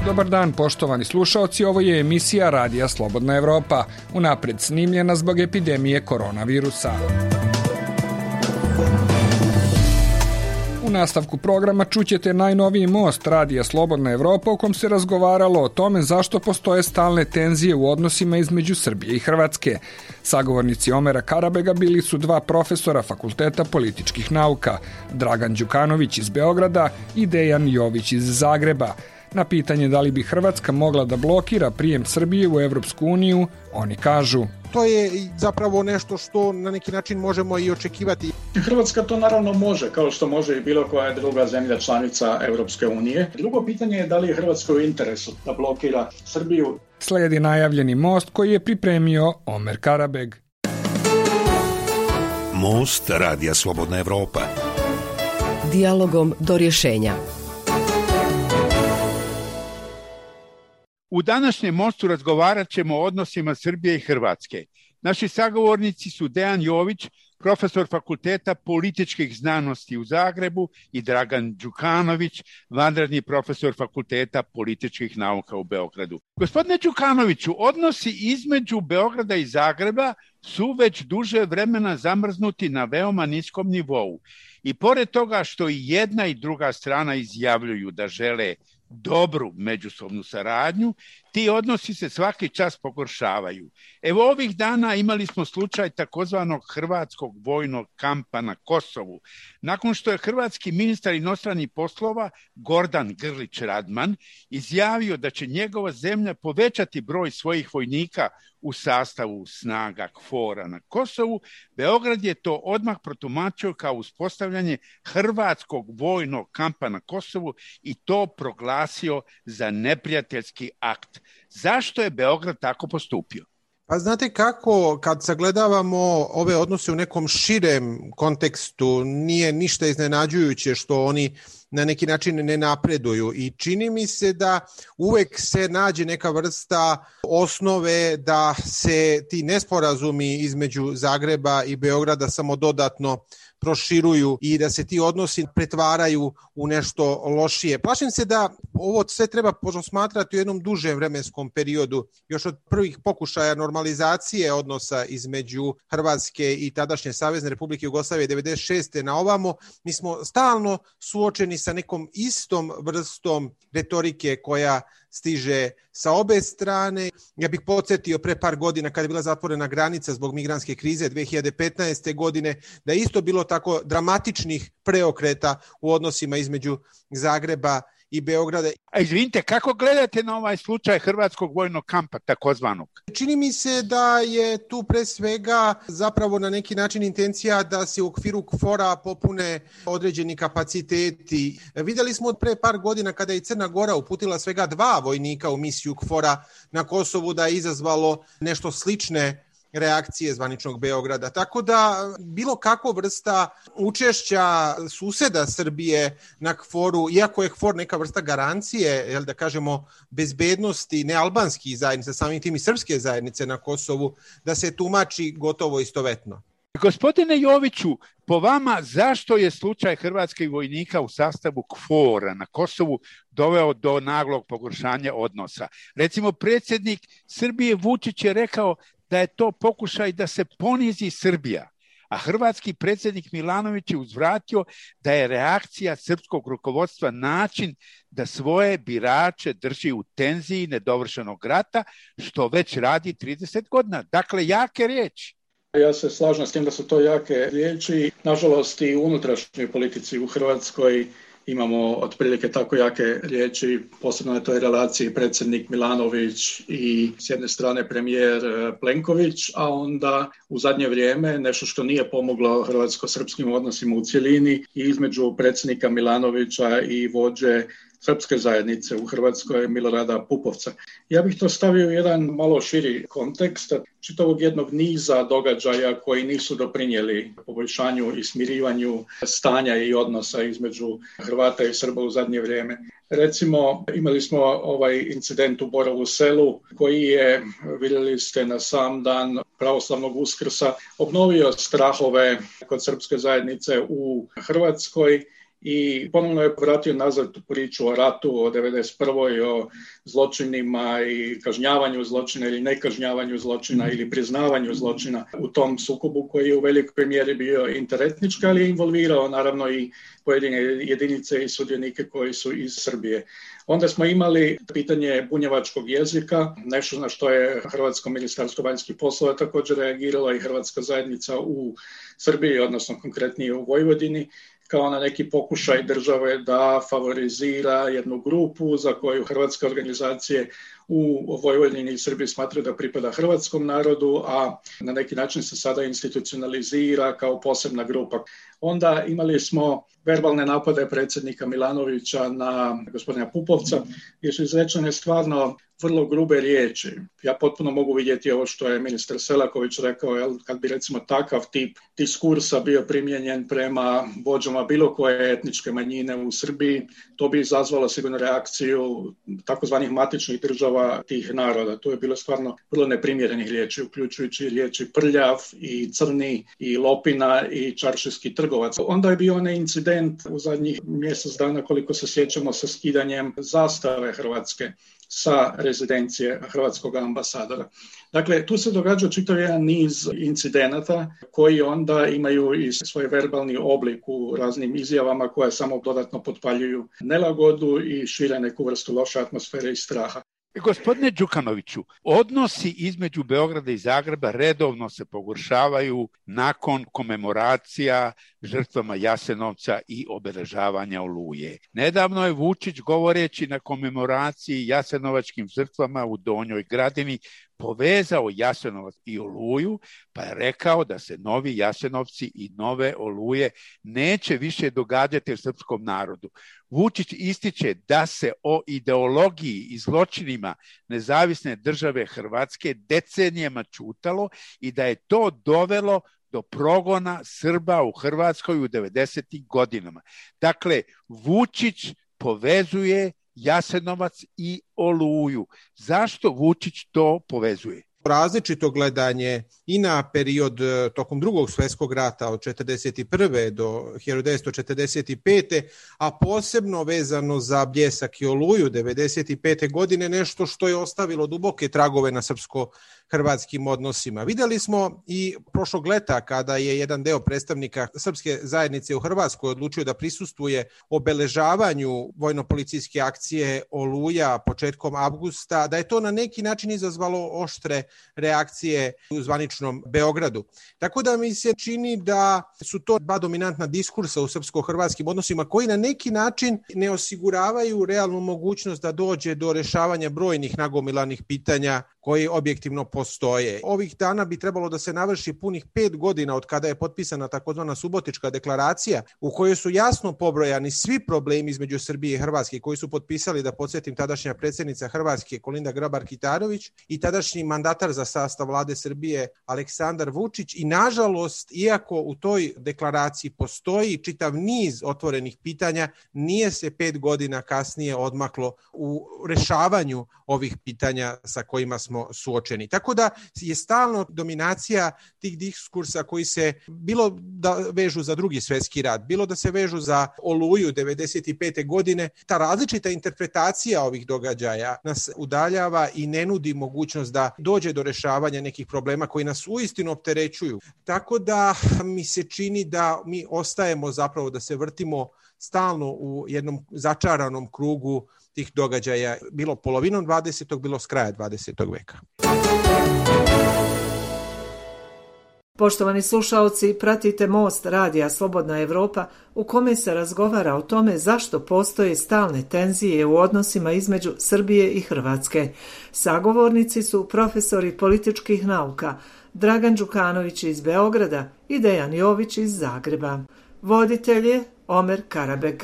Dobar dan, poštovani slušaoci, ovo je emisija Radija Slobodna Evropa, unapred snimljena zbog epidemije koronavirusa. U nastavku programa čućete najnoviji most Radija Slobodna Evropa u kom se razgovaralo o tome zašto postoje stalne tenzije u odnosima između Srbije i Hrvatske. Sagovornici Omera Karabega bili su dva profesora Fakulteta političkih nauka, Dragan Đukanović iz Beograda i Dejan Jović iz Zagreba. Na pitanje da li bi Hrvatska mogla da blokira prijem Srbije u Evropsku uniju, oni kažu: to je zapravo nešto što na neki način možemo i očekivati. Hrvatska to naravno može, kao što može i bilo koja druga zemlja članica Evropske unije. Drugo pitanje je da li je Hrvatskoj u interesu da blokira Srbiju. Slijedi najavljeni most koji je pripremio Omer Karabeg. Most Radija Slobodna Evropa. Dijalogom do rješenja. U današnjem mostu razgovarat ćemo o odnosima Srbije i Hrvatske. Naši sagovornici su Dejan Jović, profesor Fakulteta političkih znanosti u Zagrebu, i Dragan Đukanović, vanredni profesor Fakulteta političkih nauka u Beogradu. Gospodine Đukanoviću, odnosi između Beograda i Zagreba su već duže vremena zamrznuti na veoma niskom nivou. I pored toga što i jedna i druga strana izjavljuju da žele dobru međusobnu saradnju, ti odnosi se svaki čas pogoršavaju. Evo ovih dana imali smo slučaj takozvanog hrvatskog vojnog kampa na Kosovu. Nakon što je hrvatski ministar inostranih poslova Gordan Grlić Radman izjavio da će njegova zemlja povećati broj svojih vojnika u sastavu snaga KFOR-a na Kosovu, Beograd je to odmah protumačio kao uspostavljanje hrvatskog vojnog kampa na Kosovu i to proglasio za neprijateljski akt. Zašto je Beograd tako postupio? Pa znate kako, kad sagledavamo ove odnose u nekom širem kontekstu, nije ništa iznenađujuće što oni na neki način ne napreduju i čini mi se da uvek se nađe neka vrsta osnove da se ti nesporazumi između Zagreba i Beograda samo dodatno proširuju i da se ti odnosi pretvaraju u nešto lošije. Plašim se da ovo sve treba posmatrati u jednom dužem vremenskom periodu, još od prvih pokušaja normalizacije odnosa između Hrvatske i tadašnje Savezne Republike Jugoslavije 96. na ovamo. Mi smo stalno suočeni sa nekom istom vrstom retorike koja stiže sa obe strane. Ja bih podsjetio pre par godina kada je bila zatvorena granica zbog migrantske krize 2015. godine, da je isto bilo tako dramatičnih preokreta u odnosima između Zagreba i Beograda. A izvinite, kako gledate na ovaj slučaj hrvatskog vojnog kampa takozvanog? Čini mi se da je tu pre svega zapravo na neki način intencija da se u okviru KFOR-a popune određeni kapaciteti. Vidjeli smo od pre par godina kada je Crna Gora uputila svega 2 vojnika u misiju KFOR-a na Kosovu, da je izazvalo nešto slične reakcije zvaničnog Beograda. Tako da bilo kakva vrsta učešća suseda Srbije na KFOR-u, iako je KFOR neka vrsta garancije, da kažemo, bezbednosti nealbanskih zajednica, samim tim i srpske zajednice na Kosovu, da se tumači gotovo istovetno. Gospodine Joviću, po vama zašto je slučaj hrvatskih vojnika u sastavu KFOR-a na Kosovu doveo do naglog pogoršanja odnosa? Recimo, predsjednik Srbije Vučić je rekao da je to pokušaj da se ponizi Srbija, a hrvatski predsjednik Milanović je uzvratio da je reakcija srpskog rukovodstva način da svoje birače drži u tenziji nedovršenog rata, što već radi 30 godina. Dakle, jake riječi. Ja se slažem s tim da su to jake riječi. Nažalost, i u unutrašnjoj politici u Hrvatskoj imamo otprilike tako jake riječi, posebno na toj relaciji predsjednik Milanović i s jedne strane premijer Plenković, a onda u zadnje vrijeme nešto što nije pomoglo hrvatsko-srpskim odnosima u cjelini i između predsjednika Milanovića i vođe srpske zajednice u Hrvatskoj Milorada Pupovca. Ja bih to stavio u jedan malo širi kontekst čitavog jednog niza događaja koji nisu doprinijeli poboljšanju i smirivanju stanja i odnosa između Hrvata i Srba u zadnje vrijeme. Recimo, imali smo ovaj incident u Borovu Selu koji je, vidjeli ste, na sam dan pravoslavnog Uskrsa obnovio strahove kod srpske zajednice u Hrvatskoj i ponovno je vratio nazad priču o ratu, o 1991. o zločinima i kažnjavanju zločina ili nekažnjavanju zločina ili priznavanju zločina u tom sukobu koji je u velikoj mjeri bio interetnički, ali je involvirao naravno i pojedine jedinice i sudionike koji su iz Srbije. Onda smo imali pitanje bunjevačkog jezika, nešto na što je Hrvatsko ministarstvo vanjskih poslova također reagiralo i Hrvatska zajednica u Srbiji, odnosno konkretnije u Vojvodini, kao na neki pokušaj države da favorizira jednu grupu za koju hrvatske organizacije u Vojvodini i Srbiji smatraju da pripada hrvatskom narodu, a na neki način se sada institucionalizira kao posebna grupa. Onda imali smo verbalne napade predsjednika Milanovića na gospodina Pupovca, gdje su izrečene stvarno vrlo grube riječi. Ja potpuno mogu vidjeti ovo što je ministar Selaković rekao, kad bi recimo takav tip diskursa bio primijenjen prema vođama bilo koje etničke manjine u Srbiji, to bi izazvalo sigurno reakciju takozvanih matičnih država tih naroda. To je bilo stvarno vrlo neprimjerenih riječi, uključujući riječi prljav i crni i lopina i čaršijski trgovac. Onda je bio onaj incident u zadnjih mjesec dana, koliko se sjećamo, sa skidanjem zastave Hrvatske sa rezidencije hrvatskog ambasadora. Dakle, tu se događa čitav jedan niz incidenata koji onda imaju i svoj verbalni oblik u raznim izjavama koje samo dodatno potpaljuju nelagodu i šire neku vrstu loše atmosfere i straha. Gospodine Đukanoviću, odnosi između Beograda i Zagreba redovno se pogoršavaju nakon komemoracija žrtvama Jasenovca i obeležavanja Oluje. Nedavno je Vučić, govoreći na komemoraciji jasenovačkim žrtvama u Donjoj Gradini, povezao Jasenovac i Oluju, pa je rekao da se novi Jasenovci i nove Oluje neće više događati u srpskom narodu. Vučić ističe da se o ideologiji i zločinima nezavisne države Hrvatske decenijama ćutalo i da je to dovelo do progona Srba u Hrvatskoj u 90. godinama. Dakle, Vučić povezuje Jasenovac i Oluju. Zašto Vučić to povezuje? Različito gledanje i na period tokom Drugog svjetskog rata od 1941. do 1945. a posebno vezano za Bljesak i Oluju 1995. godine, nešto što je ostavilo duboke tragove na srpsko-hrvatskim odnosima. Vidjeli smo i prošlog leta kada je jedan deo predstavnika srpske zajednice u Hrvatskoj odlučio da prisustvuje obeležavanju vojno-policijske akcije Oluja početkom avgusta, da je to na neki način izazvalo oštre reakcije u zvaničnom Beogradu. Tako da mi se čini da su to dva dominantna diskursa u srpsko-hrvatskim odnosima koji na neki način ne osiguravaju realnu mogućnost da dođe do rešavanja brojnih nagomilanih pitanja koji objektivno postoje. Ovih dana bi trebalo da se navrši punih 5 godina od kada je potpisana takozvana Subotička deklaracija u kojoj su jasno pobrojani svi problemi između Srbije i Hrvatske koji su potpisali, da podsjetim, tadašnja predsjednica Hrvatske Kolinda Grabar-Kitarović i tadašnji mandatar za sastav vlade Srbije Aleksandar Vučić. I nažalost, iako u toj deklaraciji postoji čitav niz otvorenih pitanja, nije se 5 godina kasnije odmaklo u rešavanju ovih pitanja sa kojima smo suočeni. Tako da je stalno dominacija tih diskursa koji se bilo da vežu za Drugi svjetski rat, bilo da se vežu za Oluju 1995. godine. Ta različita interpretacija ovih događaja nas udaljava i ne nudi mogućnost da dođe do rešavanja nekih problema koji nas uistinu opterećuju. Tako da mi se čini da mi ostajemo zapravo da se vrtimo stalno u jednom začaranom krugu tih događaja, bilo polovinom 20. bilo s kraja 20. veka. Poštovani slušaoci, pratite Most radija Slobodna Evropa u kome se razgovara o tome zašto postoje stalne tenzije u odnosima između Srbije i Hrvatske. Sagovornici su profesori političkih nauka Dragan Đukanović iz Beograda i Dejan Jović iz Zagreba. Voditelj je Omer Karabeg.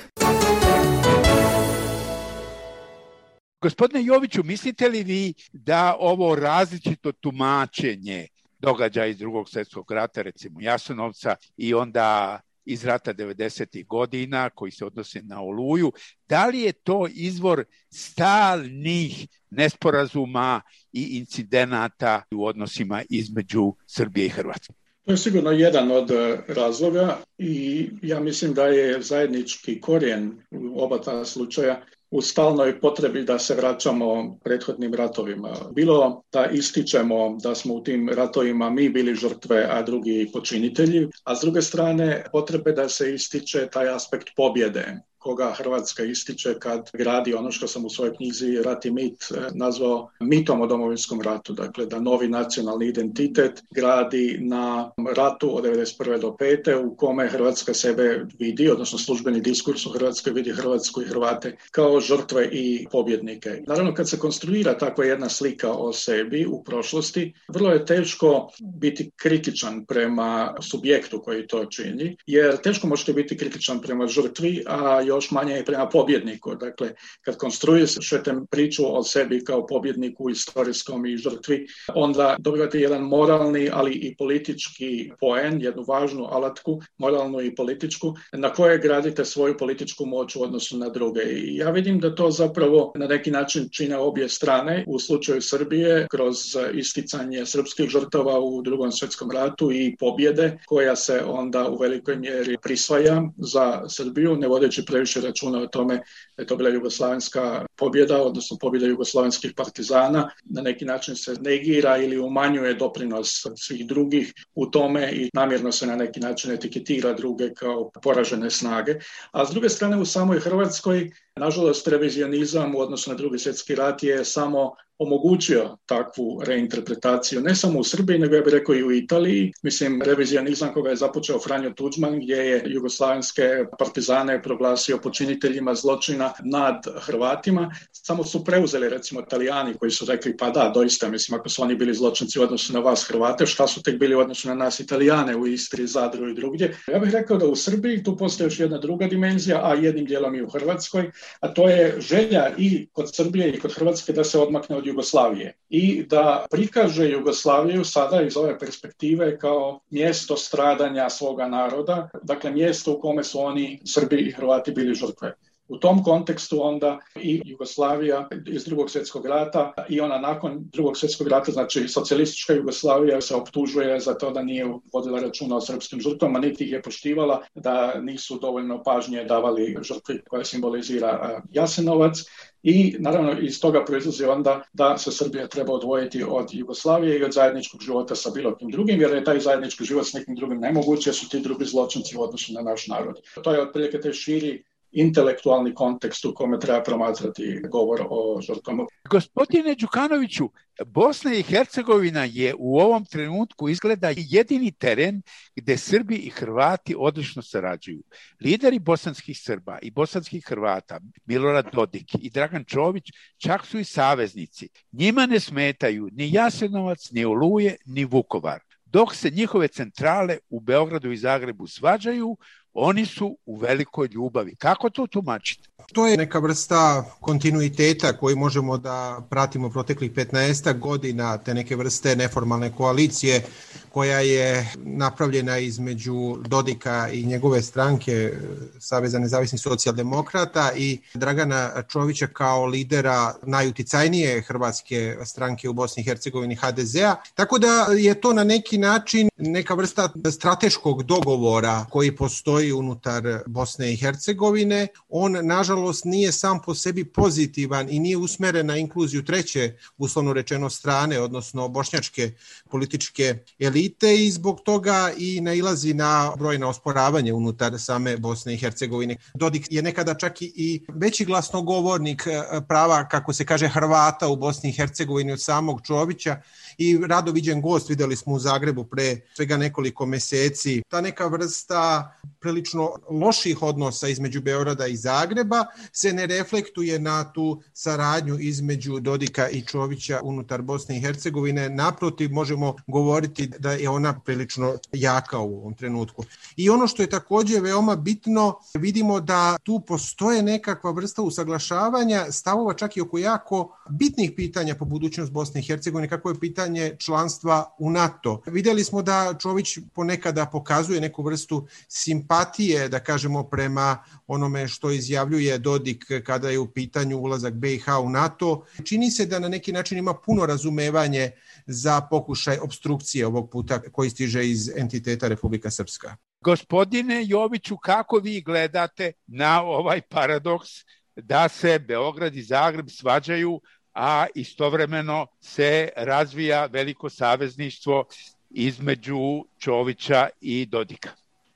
Gospodine Joviću, mislite li vi da ovo različito tumačenje događaja iz Drugog svjetskog rata, recimo Jasenovca, i onda iz rata 90. godina koji se odnose na Oluju, da li je to izvor stalnih nesporazuma i incidenata u odnosima između Srbije i Hrvatske? To je sigurno jedan od razloga i ja mislim da je zajednički korijen u oba ta slučaja u stalnoj potrebi da se vraćamo prethodnim ratovima. Bilo da ističemo da smo u tim ratovima mi bili žrtve, a drugi počinitelji, a s druge strane potrebe da se ističe taj aspekt pobjede, koga Hrvatska ističe kad gradi ono što sam u svojoj knjizi Rat i mit nazvao mitom o Domovinskom ratu. Dakle, da novi nacionalni identitet gradi na ratu od 1991. do 1995. u kome Hrvatska sebe vidi, odnosno službeni diskurs u Hrvatskoj vidi Hrvatsku i Hrvate kao žrtve i pobjednike. Naravno, kad se konstruira takva jedna slika o sebi u prošlosti, vrlo je teško biti kritičan prema subjektu koji to čini, jer teško možete biti kritičan prema žrtvi, a još manje i prema pobjedniku. Dakle, kad konstruirate priču o sebi kao pobjedniku istorijskom i žrtvi, onda dobivate jedan moralni, ali i politički poen, jednu važnu alatku, moralnu i političku, na koje gradite svoju političku moć u odnosu na druge. I ja vidim da to zapravo na neki način čine obje strane. U slučaju Srbije, kroz isticanje srpskih žrtava u Drugom svjetskom ratu i pobjede, koja se onda u velikoj mjeri prisvaja za Srbiju, ne vodeći previše računa o tome da je to bila jugoslavenska pobjeda, odnosno pobjeda jugoslavenskih partizana. Na neki način se negira ili umanjuje doprinos svih drugih u tome i namjerno se na neki način etiketira druge kao poražene snage. A s druge strane, u samoj Hrvatskoj, nažalost, revizionizam u odnosu na Drugi svjetski rat je samo omogućio takvu reinterpretaciju, ne samo u Srbiji, nego ja bih rekao i u Italiji. Mislim, revizionizam koga je započeo Franjo Tuđman, gdje je jugoslavenske partizane proglasio počiniteljima zločina nad Hrvatima, samo su preuzeli, recimo, Italijani koji su rekli, pa da, doista, mislim, ako su oni bili zločinci u odnosu na vas Hrvate, šta su tek bili u odnosu na nas Italijane u Istri, Zadru i drugdje. Ja bih rekao da u Srbiji tu postoji još jedna druga dimenzija, a jednim dijelom i u Hrvatskoj, a to je želja i kod Srbije i kod Hrvatske da se odmakne od Jugoslavije i da prikaže Jugoslaviju sada iz ove perspektive kao mjesto stradanja svoga naroda, dakle mjesto u kome su oni, Srbi i Hrvati, bili žrtve. U tom kontekstu onda i Jugoslavija iz Drugog svjetskog rata i ona nakon Drugog svjetskog rata, znači socijalistička Jugoslavija, se optužuje za to da nije vodila računa o srpskim žrtvama, niti ih je poštivala, da nisu dovoljno pažnje davali žrtvi koja simbolizira Jasenovac. I naravno iz toga proizlazi onda da se Srbija treba odvojiti od Jugoslavije i od zajedničkog života sa bilo kim drugim, jer je taj zajednički život s nekim drugim nemoguće, jer su ti drugi zločinci u odnosu na naš narod. To je otprilike taj širi intelektualni kontekst u kome treba promatrati govor o žrtvama. Gospodine Đukanoviću, Bosna i Hercegovina je u ovom trenutku izgleda jedini teren gdje Srbi i Hrvati odlično sarađuju. Lideri bosanskih Srba i bosanskih Hrvata, Milorad Dodik i Dragan Čović, čak su i saveznici. Njima ne smetaju ni Jasenovac, ni Oluje, ni Vukovar. Dok se njihove centrale u Beogradu i Zagrebu svađaju, oni su u velikoj ljubavi. Kako to tumačite? To je neka vrsta kontinuiteta koji možemo da pratimo proteklih 15 godina, te neke vrste neformalne koalicije koja je napravljena između Dodika i njegove stranke Saveza nezavisnih socijaldemokrata i Dragana Čovića kao lidera najuticajnije hrvatske stranke u Bosni i Hercegovini, HDZ-a. Tako da je to na neki način neka vrsta strateškog dogovora koji postoji unutar Bosne i Hercegovine. On, nažalost, nije sam po sebi pozitivan i nije usmeren na inkluziju treće, uslovno rečeno, strane, odnosno bošnjačke političke elite, i zbog toga i nailazi na brojna osporavanje unutar same Bosne i Hercegovine. Dodik je nekada čak i veći glasnogovornik prava, kako se kaže, Hrvata u Bosni i Hercegovini od samog Čovića i rado viđen gost, vidjeli smo u Zagrebu pre svega nekoliko meseci. Ta neka vrsta prilično loših odnosa između Beograda i Zagreba se ne reflektuje na tu saradnju između Dodika i Čovića unutar Bosne i Hercegovine. Naprotiv, možemo govoriti da je ona prilično jaka u ovom trenutku. I ono što je također veoma bitno, vidimo da tu postoje nekakva vrsta usaglašavanja stavova čak i oko jako bitnih pitanja po budućnost Bosne i Hercegovine, kako je pitanje članstva u NATO. Vidjeli smo da Čović ponekada pokazuje neku vrstu simpatije simpatije, da kažemo, prema onome što izjavljuje Dodik kada je u pitanju ulazak BiH u NATO. Čini se da na neki način ima puno razumevanje za pokušaj opstrukcije ovog puta koji stiže iz entiteta Republika Srpska. Gospodine Joviću, kako vi gledate na ovaj paradoks da se Beograd i Zagreb svađaju, a istovremeno se razvija veliko savezništvo između Čovića i Dodika?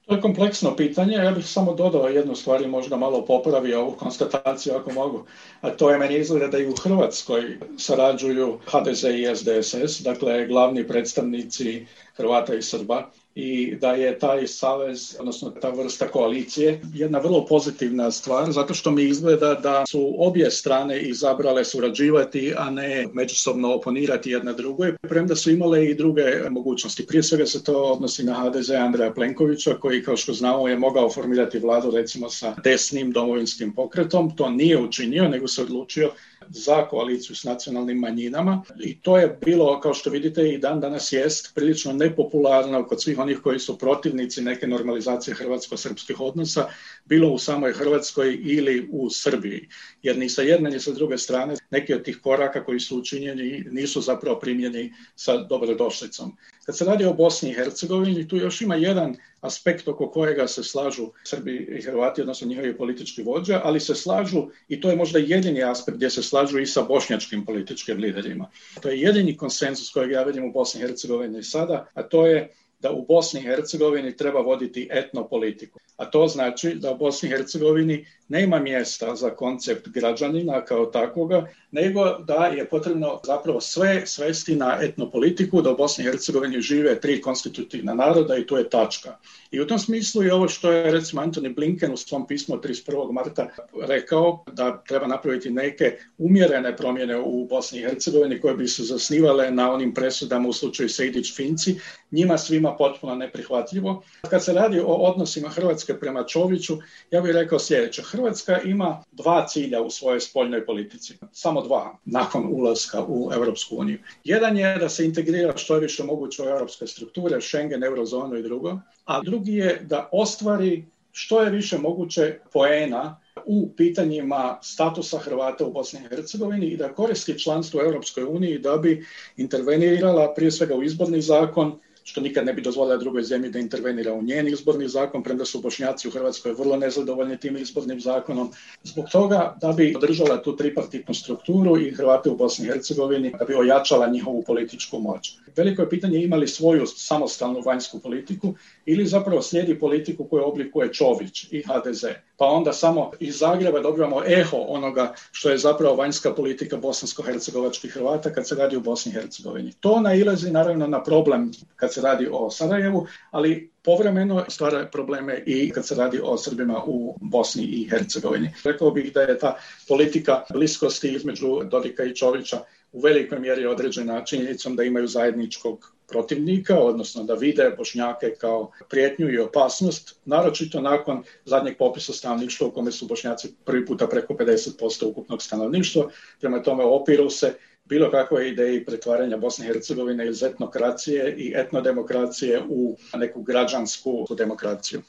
To je kompleksno pitanje. Ja bih samo dodao jednu stvar i možda malo popravio ovu konstataciju ako mogu. A to je, meni izgleda da i u Hrvatskoj sarađuju HDZ i SDSS, dakle glavni predstavnici Hrvata i Srba, i da je taj savez, odnosno ta vrsta koalicije, jedna vrlo pozitivna stvar, zato što mi izgleda da su obje strane izabrale surađivati, a ne međusobno oponirati jedna drugoj, premda su imale i druge mogućnosti. Prije svega se to odnosi na HDZ Andreja Plenkovića, koji, kao što znamo, je mogao formirati vladu recimo sa desnim domovinskim pokretom. To nije učinio, nego se odlučio za koaliciju s nacionalnim manjinama, i to je bilo, kao što vidite, i dan danas jest prilično nepopularno kod svih onih koji su protivnici neke normalizacije hrvatsko-srpskih odnosa, bilo u samoj Hrvatskoj ili u Srbiji, jer ni sa jedne ni sa druge strane neki od tih koraka koji su učinjeni nisu zapravo primljeni sa dobrodošlicom. Kad se radi o Bosni i Hercegovini, tu još ima jedan aspekt oko kojega se slažu Srbi i Hrvati, odnosno njihovi politički vođe, ali se slažu, i to je možda jedini aspekt gdje se slažu i sa bošnjačkim političkim liderima. To je jedini konsenzus kojeg ja vidim u Bosni i Hercegovini sada, a to je da u Bosni i Hercegovini treba voditi etnopolitiku. A to znači da u Bosni i Hercegovini nema mjesta za koncept građanina kao takvoga, nego da je potrebno zapravo sve svesti na etnopolitiku, da u Bosni i Hercegovini žive 3 konstitutivna naroda i to je tačka. I u tom smislu je ovo što je recimo Antony Blinken u svom pismu 31. marta rekao, da treba napraviti neke umjerene promjene u Bosni i Hercegovini koje bi se zasnivale na onim presudama u slučaju Sejdić-Finci, njima svima potpuno neprihvatljivo. Kad se radi o odnosima Hrvatske prema Čoviću, ja bih rekao sljedeće. Hrvatska ima 2 cilja u svojoj spoljnoj politici. Samo 2 nakon ulaska u Europsku uniju. Jedan je da se integrira što je više moguće u europske strukture, Schengen, Eurozonu i drugo. A drugi je da ostvari što je više moguće poena u pitanjima statusa Hrvata u Bosni i Hercegovini i da koristi članstvo u Europskoj uniji da bi intervenirala prije svega u izborni zakon, što nikad ne bi dozvolila drugoj zemlji da intervenira u njen izborni zakon, premda su Bošnjaci u Hrvatskoj vrlo nezadovoljni tim izbornim zakonom. Zbog toga da bi održala tu tripartitnu strukturu i Hrvate u Bosni i Hercegovini, da bi ojačala njihovu političku moć. Veliko je pitanje ima li svoju samostalnu vanjsku politiku ili zapravo slijedi politiku koju oblikuje Čović i HDZ. Pa onda samo iz Zagreba dobivamo eho onoga što je zapravo vanjska politika bosansko-hercegovačkih Hrvata kad se radi u Bosni i Hercegovini. To nailazi naravno na problem kad se radi o Sarajevu, ali povremeno stvara probleme i kad se radi o Srbima u Bosni i Hercegovini. Rekao bih da je ta politika bliskosti između Dodika i Čovića u velikoj mjeri određena činjenicom da imaju zajedničkog protivnika, odnosno da vide Bošnjake kao prijetnju i opasnost, naročito nakon zadnjeg popisa stanovništva u kome su Bošnjaci prvi puta preko 50% ukupnog stanovništva. Prema tome opiru se bilo kakve ideje pretvaranja Bosne i Hercegovine iz etnokracije i etnodemokracije u neku građansku demokraciju.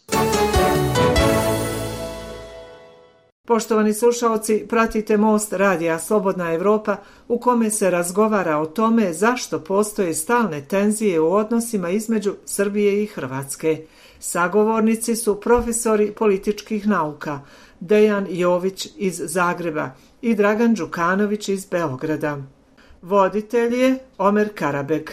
Poštovani slušaoci, pratite Most radija Slobodna Evropa u kome se razgovara o tome zašto postoje stalne tenzije u odnosima između Srbije i Hrvatske. Sagovornici su profesori političkih nauka Dejan Jović iz Zagreba i Dragan Đukanović iz Beograda. Voditelj je Omer Karabeg.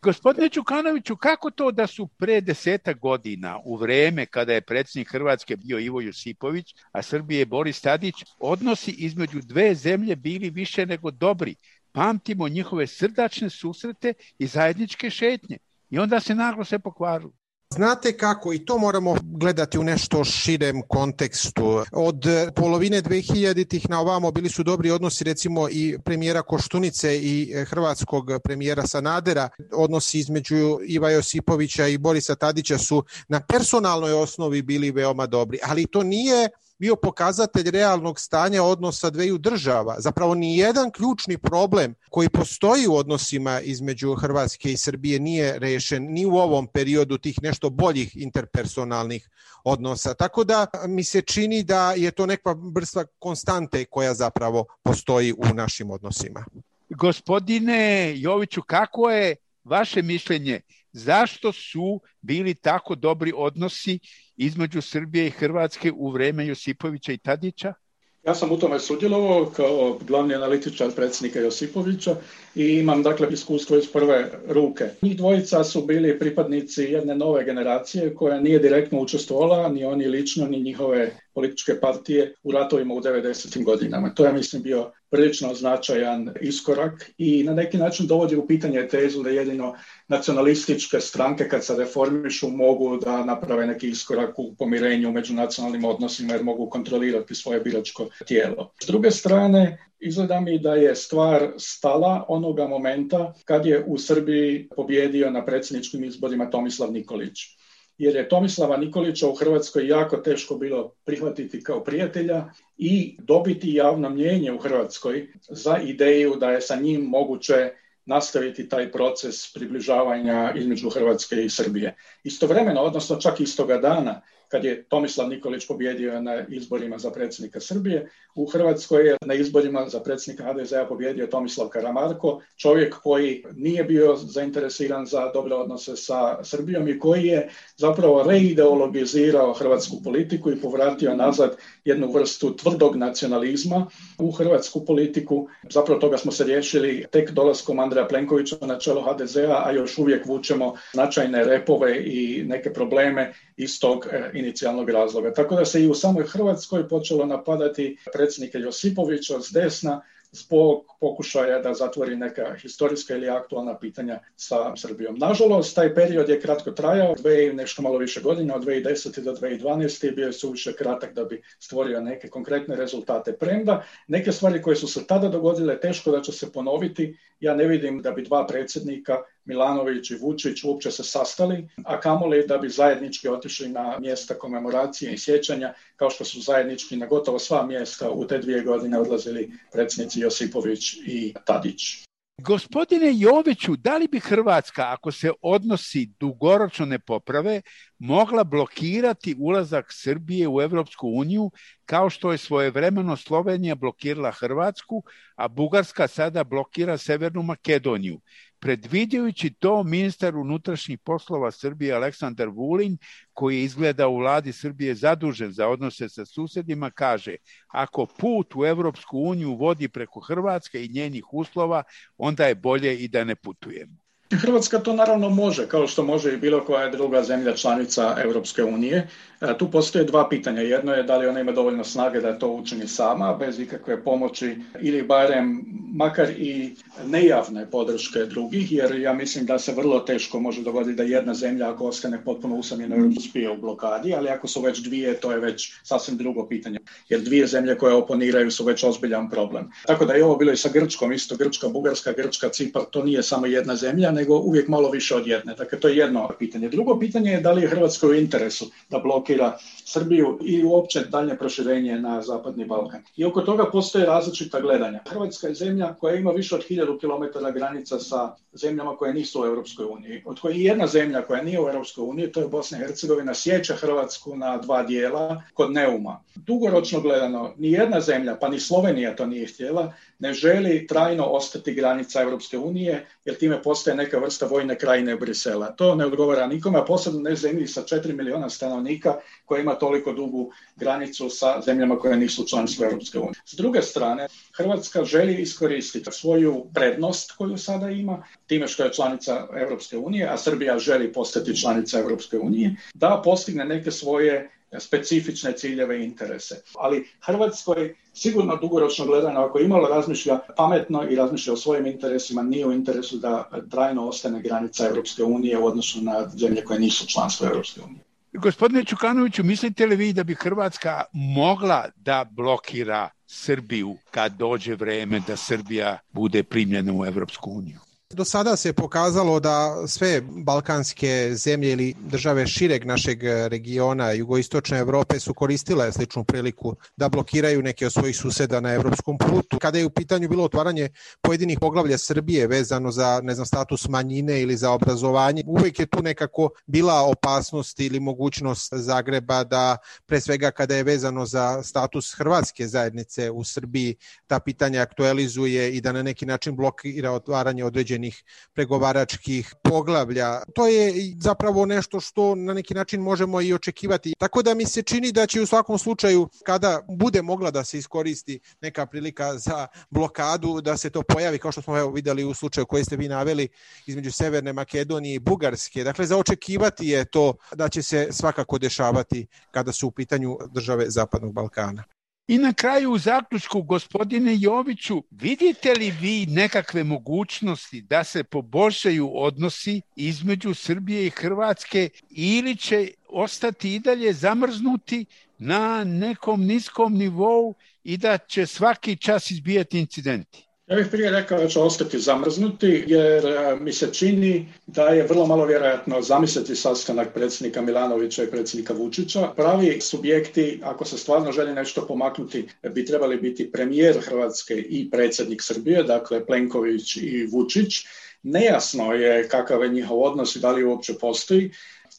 Gospodine Đukanoviću, kako to da su pre 10 godina, u vreme kada je predsjednik Hrvatske bio Ivo Josipović, a Srbije Boris Tadić, odnosi između dve zemlje bili više nego dobri? Pamtimo njihove srdačne susrete i zajedničke šetnje. I onda se naglo sve pokvarilo. Znate kako, i to moramo gledati u nešto širem kontekstu. Od polovine 2000-ih na ovamo bili su dobri odnosi recimo i premijera Koštunice i hrvatskog premijera Sanadera. Odnosi između Iva Josipovića i Borisa Tadića su na personalnoj osnovi bili veoma dobri, ali to nije bio pokazatelj realnog stanja odnosa dveju država. Zapravo ni jedan ključni problem koji postoji u odnosima između Hrvatske i Srbije nije rešen ni u ovom periodu tih nešto boljih interpersonalnih odnosa. Tako da mi se čini da je to neka vrsta konstante koja zapravo postoji u našim odnosima. Gospodine Joviću, kako je vaše mišljenje? Zašto su bili tako dobri odnosi između Srbije i Hrvatske u vreme Josipovića i Tadića? Ja sam u tome sudjelovao kao glavni analitičar predsjednika Josipovića i imam dakle iskustvo iz prve ruke. Njih dvojica su bili pripadnici jedne nove generacije koja nije direktno učestvovala, ni oni lično, ni njihove političke partije u ratovima u 90. godinama. To je, mislim, bio prilično značajan iskorak i na neki način dovodi u pitanje tezu da jedino nacionalističke stranke kad se reformišu mogu da naprave neki iskorak u pomirenju među nacionalnim odnosima jer mogu kontrolirati svoje biračko tijelo. S druge strane, izgleda mi da je stvar stala onoga momenta kad je u Srbiji pobjedio na predsjedničkim izborima Tomislav Nikolić. Jer je Tomislava Nikolića u Hrvatskoj jako teško bilo prihvatiti kao prijatelja i dobiti javno mnijenje u Hrvatskoj za ideju da je sa njim moguće nastaviti taj proces približavanja između Hrvatske i Srbije. Istovremeno, odnosno čak istoga dana, kad je Tomislav Nikolić pobjedio na izborima za predsjednika Srbije, u Hrvatskoj je na izborima za predsjednika HDZ-a pobjedio Tomislav Karamarko, čovjek koji nije bio zainteresiran za dobre odnose sa Srbijom i koji je zapravo reideologizirao hrvatsku politiku i povratio nazad jednu vrstu tvrdog nacionalizma u hrvatsku politiku. Zapravo toga smo se riješili tek dolaskom Andreja Plenkovića na čelo HDZ-a, a još uvijek vučemo značajne repove i neke probleme iz tog inicijalnog razloga. Tako da se i u samoj Hrvatskoj počelo napadati predsjednika Josipovića s desna zbog pokušaja da zatvori neka historijska ili aktualna pitanja sa Srbijom. Nažalost, taj period je kratko trajao, nešto malo više godina, od 2010. do 2012. bio je suviše kratak da bi stvorio neke konkretne rezultate. Premda neke stvari koje su se tada dogodile teško da će se ponoviti. Ja ne vidim da bi dva predsjednika, Milanović i Vučić, uopće se sastali, a kamoli da bi zajednički otišli na mjesta komemoracije i sjećanja, kao što su zajednički na gotovo sva mjesta u te 2 godine odlazili predsjednici Josipović i Tadić. Gospodine Joviću, da li bi Hrvatska, ako se odnosi dugoročno ne poprave, mogla blokirati ulazak Srbije u Evropsku uniju, kao što je svojevremeno Slovenija blokirala Hrvatsku, a Bugarska sada blokira Severnu Makedoniju? Predviđajući to, ministar unutrašnjih poslova Srbije Aleksandar Vulin, koji je izgleda u vladi Srbije zadužen za odnose sa susjedima, kaže: ako put u Evropsku uniju vodi preko Hrvatske i njenih uslova, onda je bolje i da ne putujemo. Hrvatska to naravno može, kao što može i bilo koja druga zemlja članica Europske unije. Tu postoje dva pitanja. Jedno je da li ona ima dovoljno snage da to učini sama, bez ikakve pomoći ili barem makar i nejavne podrške drugih, jer ja mislim da se vrlo teško može dogoditi da jedna zemlja, ako ostane potpuno usamljena, uspije u blokadi, ali ako su već dvije, to je već sasvim drugo pitanje, jer dvije zemlje koje oponiraju su već ozbiljan problem. Tako da je ovo bilo i sa Grčkom, isto Grčka, Bugarska, Grčka, Cipar, to nije samo jedna zemlja, nego uvijek malo više od jedne. Dakle, to je jedno pitanje. Drugo pitanje je da li je Hrvatskoj u interesu da blokira Srbiju i uopće daljnje proširenje na Zapadni Balkan. I oko toga postoje različita gledanja. Hrvatska je zemlja koja ima više od 1000 km granica sa zemljama koje nisu u Europskoj uniji. Od koje jedna zemlja koja nije u Europskoj uniji, to je Bosna i Hercegovina, sjeća Hrvatsku na 2 dijela kod Neuma. Dugoročno gledano, ni jedna zemlja, pa ni Slovenija to nije htjela, ne želi trajno ostati granica Europske unije, jer time postaje neka vrsta vojne krajine Brisela. To ne odgovara nikome, a posebno ne zemlji sa 4 miliona stanovnika koja ima toliko dugu granicu sa zemljama koje nisu članstvo Europske unije. S druge strane, Hrvatska želi iskoristiti svoju prednost koju sada ima, time što je članica Europske unije, a Srbija želi postati članica Europske unije, da postigne neke svoje specifične ciljeve i interese. Ali Hrvatskoj sigurno dugoročno gledano, ako imalo razmišlja pametno i razmišlja o svojim interesima, nije u interesu da trajno ostane granica Europske unije u odnosu na zemlje koje nisu članstvo Europske unije. Gospodine Čukanoviću, mislite li vi da bi Hrvatska mogla da blokira Srbiju kad dođe vreme da Srbija bude primljena u Evropsku uniju? Do sada se pokazalo da sve balkanske zemlje ili države šireg našeg regiona jugoistočne Evrope su koristile sličnu priliku da blokiraju neke od svojih suseda na evropskom putu. Kada je u pitanju bilo otvaranje pojedinih poglavlja Srbije vezano za, status manjine ili za obrazovanje, uvek je tu nekako bila opasnost ili mogućnost Zagreba da, pre svega kada je vezano za status hrvatske zajednice u Srbiji, ta pitanja aktualizuje i da na neki način blokira otvaranje određenih pregovaračkih poglavlja. To je zapravo nešto što na neki način možemo i očekivati. Tako da mi se čini da će u svakom slučaju, kada bude mogla da se iskoristi neka prilika za blokadu, da se to pojavi, kao što smo videli u slučaju koji ste vi naveli između Severne Makedonije i Bugarske. Dakle, za očekivati je to da će se svakako dešavati kada su u pitanju države Zapadnog Balkana. I na kraju u zaključku, gospodine Joviću, vidite li vi nekakve mogućnosti da se poboljšaju odnosi između Srbije i Hrvatske ili će ostati i dalje zamrznuti na nekom niskom nivou i da će svaki čas izbijati incidenti? Ja bih prije rekao da će ostati zamrznuti, jer mi se čini da je vrlo malo vjerojatno zamisliti sastanak predsjednika Milanovića i predsjednika Vučića. Pravi subjekti, ako se stvarno želi nešto pomaknuti, bi trebali biti premijer Hrvatske i predsjednik Srbije, dakle Plenković i Vučić. Nejasno je kakav je njihov odnos i da li uopće postoji.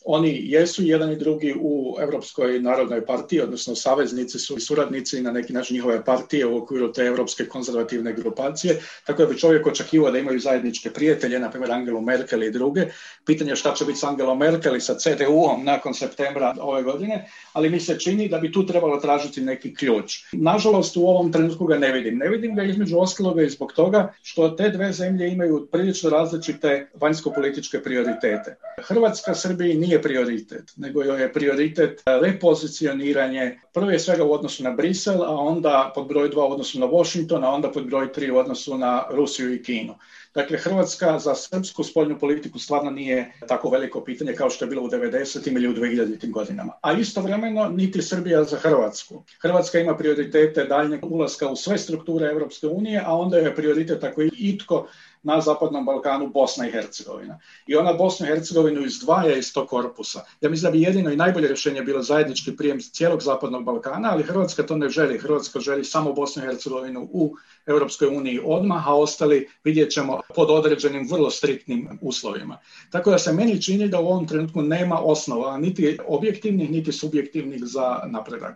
Oni jesu jedan i drugi u Europskoj narodnoj partiji, odnosno saveznici su i suradnici na neki način njihove partije u okviru te Europske konzervativne grupacije, tako da bi čovjek očekivao da imaju zajedničke prijatelje, na primjer Angelu Merkel i druge. Pitanje je šta će biti s Angelom Merkel i sa CDU-om nakon septembra ove godine, ali mi se čini da bi tu trebalo tražiti neki ključ. Nažalost, u ovom trenutku ga ne vidim. Ne vidim ga između ostaloga i zbog toga što te dve zemlje imaju prilično različite vanjsko-političke prioritete. Hrvatska Srbiji nije prioritet, nego je prioritet repozicioniranje prvo svega u odnosu na Brisel, a onda pod broj 2 u odnosu na Washington, a onda pod broj 3 u odnosu na Rusiju i Kinu. Dakle, Hrvatska za srpsku spoljnu politiku stvarno nije tako veliko pitanje kao što je bilo u 90. ili u 2000. godinama. A istovremeno niti Srbija za Hrvatsku. Hrvatska ima prioritete daljnjeg ulaska u sve strukture Europske unije, a onda je prioritet ako je itko na Zapadnom Balkanu Bosna i Hercegovina. I ona Bosnu i Hercegovinu izdvaja iz tog korpusa. Ja mislim da bi jedino i najbolje rješenje bilo zajednički prijem cijelog Zapadnog Balkana, ali Hrvatska to ne želi. Hrvatska želi samo Bosnu i Hercegovinu u Europskoj uniji odmah, a ostali vidjet ćemo pod određenim vrlo striktnim uslovima. Tako da se meni čini da u ovom trenutku nema osnova, niti objektivnih, niti subjektivnih za napredak.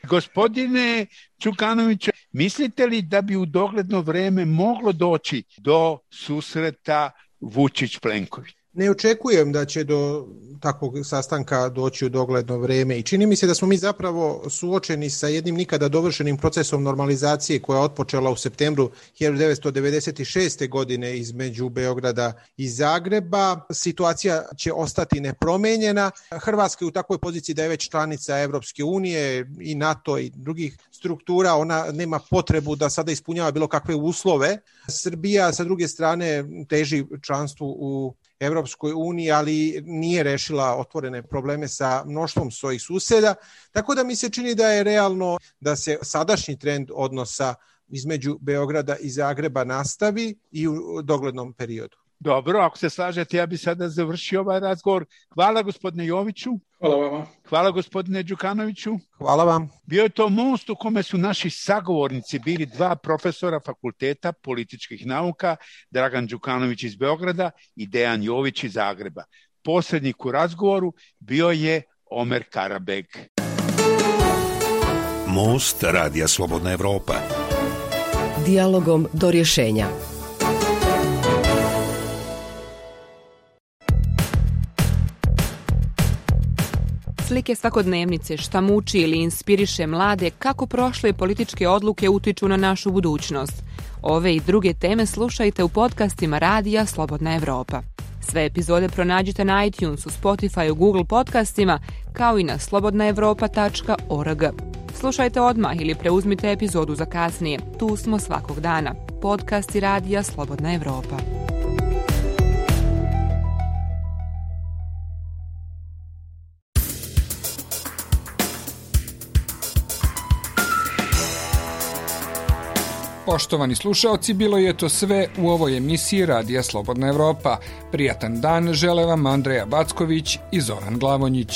Gospodine Đukanoviću, mislite li da bi u dogledno vrijeme moglo doći do susreta Vučić-Plenković? Ne očekujem da će do takvog sastanka doći u dogledno vrijeme i čini mi se da smo mi zapravo suočeni sa jednim nikada dovršenim procesom normalizacije koja je otpočela u septembru 1996. godine između Beograda i Zagreba. Situacija će ostati nepromenjena. Hrvatska je u takvoj poziciji da je već članica Evropske unije i NATO i drugih struktura. Ona nema potrebu da sada ispunjava bilo kakve uslove. Srbija sa druge strane teži članstvu u Evropskoj uniji, ali nije rešila otvorene probleme sa mnoštvom svojih suseda, tako da mi se čini da je realno da se sadašnji trend odnosa između Beograda i Zagreba nastavi i u doglednom periodu. Dobro, ako se slažete, ja bih sada završio ovaj razgovor. Hvala gospodine Joviću. Hvala vama. Hvala gospodine Đukanoviću. Hvala vam. Bio je to most u kome su naši sagovornici bili dva profesora Fakulteta političkih nauka, Dragan Đukanović iz Beograda i Dejan Jović iz Zagreba. Posrednik u razgovoru bio je Omer Karabeg. Most Radija Slobodna Evropa. Dijalogom do rješenja. Slike svakodnevnice, šta muči ili inspiriše mlade, kako prošle političke odluke utiču na našu budućnost. Ove i druge teme slušajte u podcastima Radija Slobodna Evropa. Sve epizode pronađite na iTunesu, Spotifyu, Google podcastima, kao i na slobodnaevropa.org. Slušajte odmah ili preuzmite epizodu za kasnije. Tu smo svakog dana. Podcasti Radija Slobodna Evropa. Poštovani slušaoci, bilo je to sve u ovoj emisiji Radija Slobodna Evropa. Prijatan dan žele vam Andreja Backović i Zoran Glavonjić.